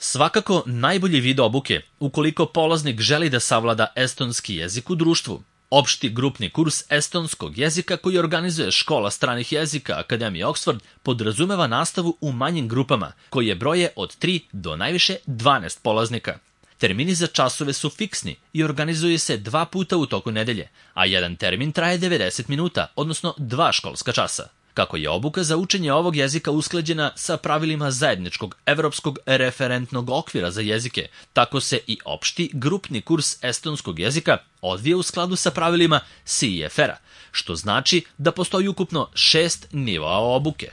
Svakako najbolji vid obuke ukoliko polaznik želi da savlada estonski jezik u društvu. Opšti grupni kurs estonskog jezika koji organizuje Škola stranih jezika Akademije Oxford podrazumeva nastavu u manjim grupama koje broje od 3 do najviše 12 polaznika. Termini za časove su fiksni i organizuju se 2 puta u toku nedelje, a jedan termin traje 90 minuta, odnosno 2 školska časa. Kako je obuka za učenje ovog jezika usklađena sa pravilima zajedničkog evropskog referentnog okvira za jezike, tako se i opšti grupni kurs estonskog jezika odvija u skladu sa pravilima CEFR-a, što znači da postoji ukupno 6 nivoa obuke.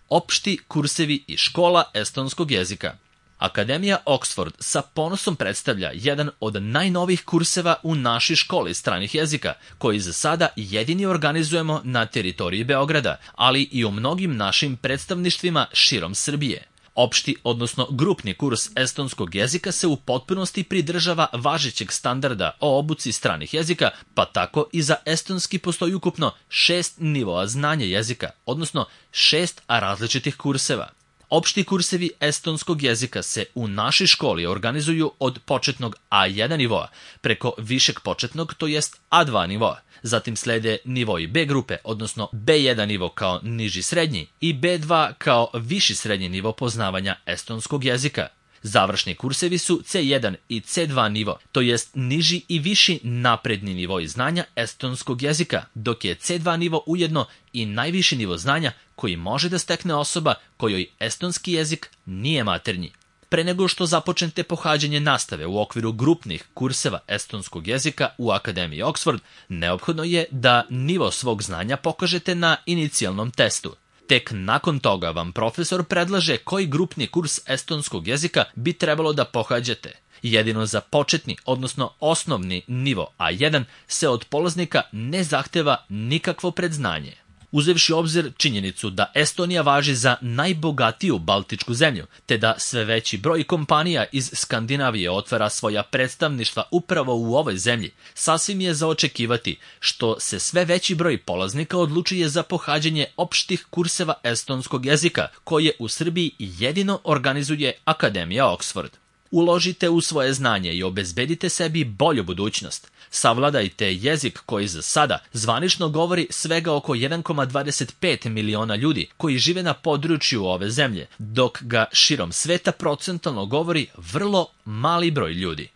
Opšti kursevi i škola estonskog jezika. Akademija Oxford sa ponosom predstavlja jedan od najnovijih kurseva u našoj školi stranih jezika, koji za sada jedini organizujemo na teritoriji Beograda, ali i u mnogim našim predstavništvima širom Srbije. Opšti, odnosno grupni kurs estonskog jezika se u potpunosti pridržava važećeg standarda o obuci stranih jezika, pa tako i za estonski postoji ukupno 6 nivoa znanja jezika, odnosno 6 različitih kurseva. Opšti kursevi estonskog jezika se u našoj školi organizuju od početnog A1 nivoa preko višeg početnog, to jest A2 nivoa. Zatim slede nivoi B grupe, odnosno B1 nivo kao niži srednji i B2 kao viši srednji nivo poznavanja estonskog jezika. Završni kursevi su C1 i C2 nivo, to jest niži i viši napredni nivoi znanja estonskog jezika, dok je C2 nivo ujedno i najviši nivo znanja koji može da stekne osoba kojoj estonski jezik nije maternji. Pre nego što započnete pohađanje nastave u okviru grupnih kurseva estonskog jezika u Akademiji Oxford, neophodno je da nivo svog znanja pokažete na inicijalnom testu. Tek nakon toga vam profesor predlaže koji grupni kurs estonskog jezika bi trebalo da pohađate. Jedino za početni, odnosno osnovni nivo A1 se od polaznika ne zahteva nikakvo predznanje. Uzevši u obzir činjenicu da Estonija važi za najbogatiju baltičku zemlju, te da sve veći broj kompanija iz Skandinavije otvara svoja predstavništva upravo u ovoj zemlji, sasvim je za očekivati što se sve veći broj polaznika odlučuje za pohađanje opštih kurseva estonskog jezika, koje u Srbiji jedino organizuje Akademija Oxford. Uložite u svoje znanje i obezbedite sebi bolju budućnost. Savladajte jezik koji za sada zvanično govori svega oko 1,25 miliona ljudi koji žive na području ove zemlje, dok ga širom sveta procentalno govori vrlo mali broj ljudi.